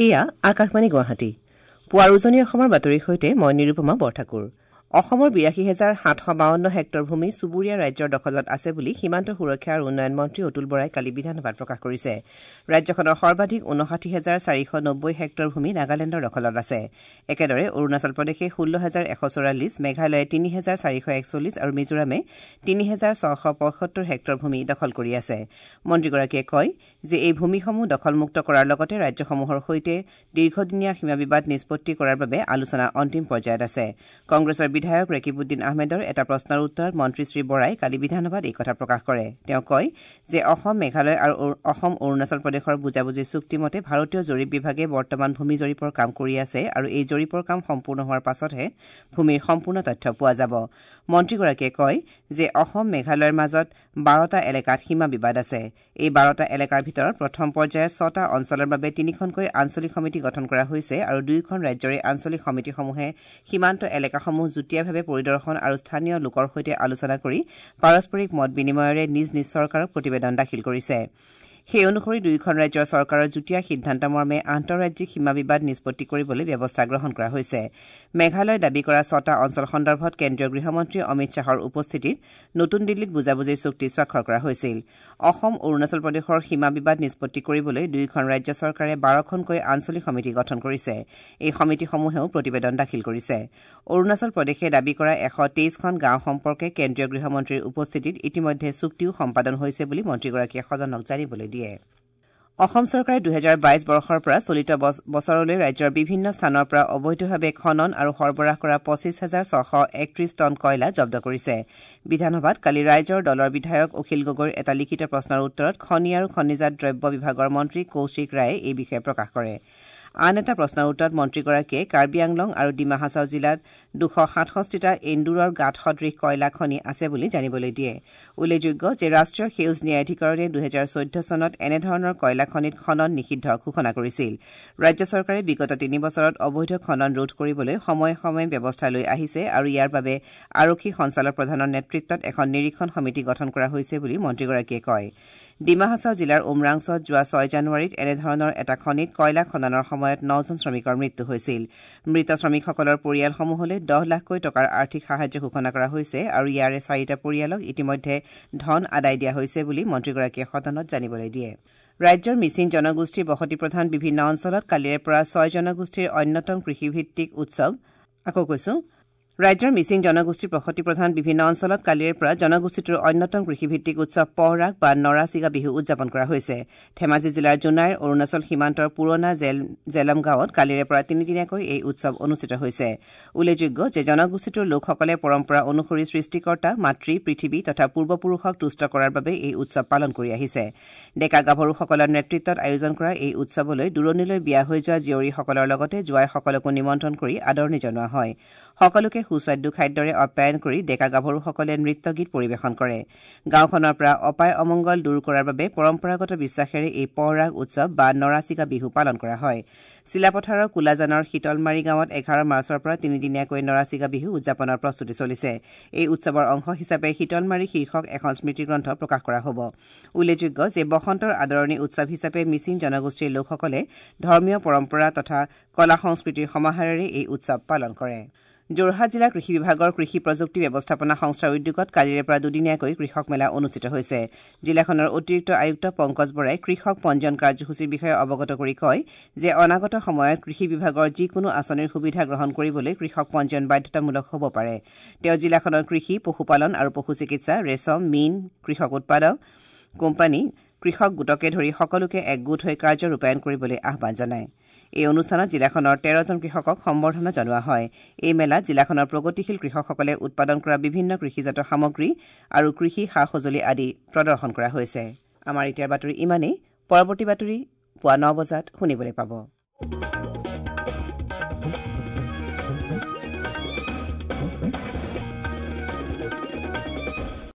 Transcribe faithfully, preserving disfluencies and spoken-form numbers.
এয়া আকাশবাণী গুৱাহাটী। পুৱাৰ উজনি অসমৰ বাতৰিৰ সৈতে মই নিৰুপমা বৰঠাকুৰ। অসমৰ বিৰাশী হেজাৰ সাতশ বাৱন্ন হেক্টৰ ভূমি চুবুৰীয়া ৰাজ্যৰ দখলত আছে বুলি সীমান্ত সুৰক্ষা আৰু উন্নয়ন মন্ত্ৰী অতুল বৰাই কালি বিধানসভাত প্ৰকাশ কৰিছে। ৰাজ্যখনৰ সৰ্বাধিক ঊনষাঠি হেজাৰ চাৰিশ নব্বৈ হেক্টৰ ভূমি নাগালেণ্ডৰ দখলত আছে। একেদৰে অৰুণাচল প্ৰদেশে ষোল্ল হেজাৰ এশ চৌৰাল্লিছ, মেঘালয়ে তিনি হেজাৰ চাৰিশ একচল্লিছ আৰু মিজোৰামে তিনি হেজাৰ ছশ পঁয়সত্তৰ হেক্টৰ ভূমি দখল কৰি আছে। মন্ত্ৰীগৰাকীয়ে কয় যে এই ভূমিসমূহ দখলমুক্ত কৰাৰ লগতে ৰাজ্যসমূহৰ সৈতে দীৰ্ঘদিনীয়া সীমা বিবাদ নিষ্পত্তি কৰাৰ বাবে আলোচনা অন্তিম পৰ্যায়ত আছে। কংগ্ৰেছৰ বিধায়ক ৰেকিবুদ্দিন আহমেদৰ এটা প্ৰশ্নৰ উত্তৰত মন্ত্ৰী শ্ৰী বৰাই কালি বিধানসভাত এই কথা প্ৰকাশ কৰে। তেওঁ কয় যে অসম, মেঘালয় আৰু অসম অৰুণাচল প্ৰদেশৰ বুজাবুজি চুক্তিমতে ভাৰতীয় জৰীপ বিভাগে বৰ্তমান ভূমি জৰীপৰ কাম কৰি আছে আৰু এই জৰীপৰ কাম সম্পূৰ্ণ হোৱাৰ পাছতহে ভূমিৰ সম্পূৰ্ণ তথ্য পোৱা যাব। মন্ত্ৰীগৰাকীয়ে কয় যে অসম মেঘালয়ৰ মাজত বাৰটা এলেকাত সীমা বিবাদ আছে। এই বাৰটা এলেকাৰ ভিতৰত প্ৰথম পৰ্যায়ত ছটা অঞ্চলৰ বাবে তিনিখনকৈ আঞ্চলিক সমিতি গঠন কৰা হৈছে আৰু দুয়োখন ৰাজ্যৰে আঞ্চলিক সমিতিসমূহে সীমান্ত এলেকাসমূহ যুটীয়াভাৱে পৰিদৰ্শন আৰু স্থানীয় লোকৰ সৈতে আলোচনা কৰি পাৰস্পৰিক মত বিনিময়েৰে নিজ নিজ চৰকাৰক প্ৰতিবেদন দাখিল কৰিছে। সেই অনুসৰি দুয়োখন ৰাজ্যৰ চৰকাৰৰ যুটীয়া সিদ্ধান্তমৰ্মে আন্তঃৰাজ্যিক সীমা বিবাদ নিষ্পত্তি কৰিবলৈ ব্যৱস্থা গ্ৰহণ কৰা হৈছে। মেঘালয়ে দাবী কৰা ছটা অঞ্চল সন্দৰ্ভত কেন্দ্ৰীয় গৃহমন্ত্ৰী অমিত শ্বাহৰ উপস্থিতিত নতুন দিল্লীত বুজাবুজিৰ চুক্তি স্বাক্ষৰ কৰা হৈছিল। অসম অৰুণাচল প্ৰদেশৰ সীমা বিবাদ নিষ্পত্তি কৰিবলৈ দুয়োখন ৰাজ্য চৰকাৰে বাৰখনকৈ আঞ্চলিক সমিতি গঠন কৰিছে। এই সমিতিসমূহেও প্ৰতিবেদন দাখিল কৰিছে। অৰুণাচল প্ৰদেশে দাবী কৰা এশ তেইছখন গাঁও সম্পৰ্কে কেন্দ্ৰীয় গৃহমন্ত্ৰীৰ উপস্থিতিত ইতিমধ্যে চুক্তিও সম্পাদন হৈছে বুলি মন্ত্ৰীগৰাকীয়ে সদনক জানিবলৈ দিয়ে। অসম চৰকাৰে দুহেজাৰ বাইছ বৰ্ষৰ পৰা চলিত বছৰলৈ ৰাজ্যৰ বিভিন্ন স্থানৰ পৰা অবৈধভাৱে খনন আৰু সৰবৰাহ কৰা পঁচিছ হাজাৰ ছশ একত্ৰিছ টন কয়লা জব্দ কৰিছে। বিধানসভাত কালি ৰাইজৰ দলৰ বিধায়ক অখিল গগৈৰ এটা লিখিত প্ৰশ্নৰ উত্তৰত খনি আৰু খনিজাত দ্ৰব্য বিভাগৰ মন্ত্ৰী কৌশিক ৰায়ে এই বিষয়ে প্ৰকাশ কৰে। আন এটা প্ৰশ্নৰ উত্তৰত মন্ত্ৰীগৰাকীয়ে কাৰ্বি আংলং আৰু ডিমা হাছাও জিলাত দুশ সাতষষ্ঠিটা এন্দুৰৰ গাঁত সদৃশ কয়লা খনি আছে বুলি জানিবলৈ দিয়ে। উল্লেখযোগ্য যে ৰাষ্ট্ৰীয় সেউজ ন্যায়াধিকৰণে দুহেজাৰ চৈধ্য চনত এনেধৰণৰ কয়লা খনিত খনন নিষিদ্ধ ঘোষণা কৰিছিল। ৰাজ্য চৰকাৰে বিগত তিনি বছৰত অবৈধ খনন ৰোধ কৰিবলৈ সময়ে সময়ে ব্যৱস্থা লৈ আহিছে আৰু ইয়াৰ বাবে আৰক্ষী সঞ্চালক প্ৰধানৰ নেতৃত্বত এখন নিৰীক্ষণ সমিতি গঠন কৰা হৈছে বুলি মন্ত্ৰীগৰাকীয়ে কয়। ডিমা হাছাও জিলাৰ উমৰাংছত যোৱা ছয় জানুৱাৰীত এনেধৰণৰ এটা খনিত কয়লা খননৰ সময়ত নজন শ্ৰমিকৰ মৃত্যু হৈছিল। মৃত শ্ৰমিকসকলৰ পৰিয়ালসমূহলৈ দহ লাখকৈ টকাৰ আৰ্থিক সাহায্য ঘোষণা কৰা হৈছে আৰু ইয়াৰে চাৰিটা পৰিয়ালক ইতিমধ্যে ধন আদায় দিয়া হৈছে বুলি মন্ত্ৰীগৰাকীয়ে সদনত জানিবলৈ দিয়ে। ৰাজ্যৰ মিচিং জনগোষ্ঠীৰ বসতিপ্ৰধান বিভিন্ন অঞ্চলত কালিৰে পৰা ছয় জনগোষ্ঠীৰ অন্যতম কৃষিভিত্তিক উৎসৱ আকৌ কৈছো ৰাজ্যৰ মিচিং জনগোষ্ঠীৰ বসতিপ্ৰধান বিভিন্ন অঞ্চলত কালিৰে পৰা জনগোষ্ঠীটোৰ অন্যতম কৃষিভিত্তিক উৎসৱ পহৰাগ বা নৰাচিগা বিহু উদযাপন কৰা হৈছে। ধেমাজি জিলাৰ জোনাইৰ অৰুণাচল সীমান্তৰ পুৰণা জেল জেলম গাঁৱত কালিৰে পৰা তিনিদিনীয়াকৈ এই উৎসৱ অনুষ্ঠিত হৈছে। উল্লেখযোগ্য যে জনগোষ্ঠীটোৰ লোকসকলে পৰম্পৰা অনুসৰি সৃষ্টিকৰ্তা মাতৃ পৃথিৱী তথা পূৰ্বপুৰুষক তুষ্ট কৰাৰ বাবে এই উৎসৱ পালন কৰি আহিছে। ডেকা গাভৰুসকলৰ নেতৃত্বত আয়োজন কৰা এই উৎসৱলৈ দূৰণিলৈ বিয়া হৈ যোৱা জীয়ৰীসকলৰ লগতে জোৱাইসকলকো নিমন্ত্ৰণ কৰি আদৰণি জনোৱা হয়। সকলোকে সুস্বাদু খাদ্যৰে আপ্যায়ন কৰি ডেকা গাভৰুসকলে নৃত্য গীত পৰিৱেশন কৰে। গাঁওখনৰ পৰা অপায় অমংগল দূৰ কৰাৰ বাবে পৰম্পৰাগত বিশ্বাসেৰে এই পহৰাগ উৎসৱ বা নৰাচিগা বিহু পালন কৰা হয়। চিলাপথাৰৰ কোলাজানৰ শীতলমাৰী গাঁৱত এঘাৰ মাৰ্চৰ পৰা তিনিদিনীয়াকৈ নৰাচিগা বিহু উদযাপনৰ প্ৰস্তুতি চলিছে। এই উৎসৱৰ অংশ হিচাপে শীতলমাৰী শীৰ্ষক এখন স্মৃতিগ্ৰন্থ প্ৰকাশ কৰা হ'ব। উল্লেখযোগ্য যে বসন্তৰ আদৰণি উৎসৱ হিচাপে মিচিং জনগোষ্ঠীৰ লোকসকলে ধৰ্মীয় পৰম্পৰা তথা কলা সংস্কৃতিৰ সমাহাৰেৰে এই উৎসৱ পালন কৰে। যোৰহাট জিলা কৃষি বিভাগৰ কৃষি প্ৰযুক্তি ব্যৱস্থাপনা সংস্থাৰ উদ্যোগত কালিৰে পৰা দুদিনীয়াকৈ কৃষক মেলা অনুষ্ঠিত হৈছে। জিলাখনৰ অতিৰিক্ত আয়ুক্ত পংকজ বৰাই কৃষক পঞ্জীয়ন কাৰ্যসূচীৰ বিষয়ে অৱগত কৰি কয় যে অনাগত সময়ত কৃষি বিভাগৰ যিকোনো আঁচনিৰ সুবিধা গ্ৰহণ কৰিবলৈ কৃষক পঞ্জীয়ন বাধ্যতামূলক হ'ব পাৰে। তেওঁ জিলাখনৰ কৃষি, পশুপালন আৰু পশু চিকিৎসা, ৰেচম, মীন, কৃষক উৎপাদক কোম্পানী, কৃষক গোটকে ধৰি সকলোকে একগোট হৈ কাৰ্য ৰূপায়ণ কৰিবলৈ আহ্বান জনায়। এই অনুষ্ঠানত জিলাখনৰ তেৰজন কৃষকক সম্বৰ্ধনা জনোৱা হয়। এই মেলাত জিলাখনৰ প্ৰগতিশীল কৃষকসকলে উৎপাদন কৰা বিভিন্ন কৃষিজাত সামগ্ৰী আৰু কৃষি সা সঁজুলি আদি প্ৰদৰ্শন কৰা হৈছে। আমাৰ এতিয়াৰ বাতৰি ইমানেই। পৰৱৰ্তী বাতৰি পুৱা ন বজাত শুনিবলৈ পাব।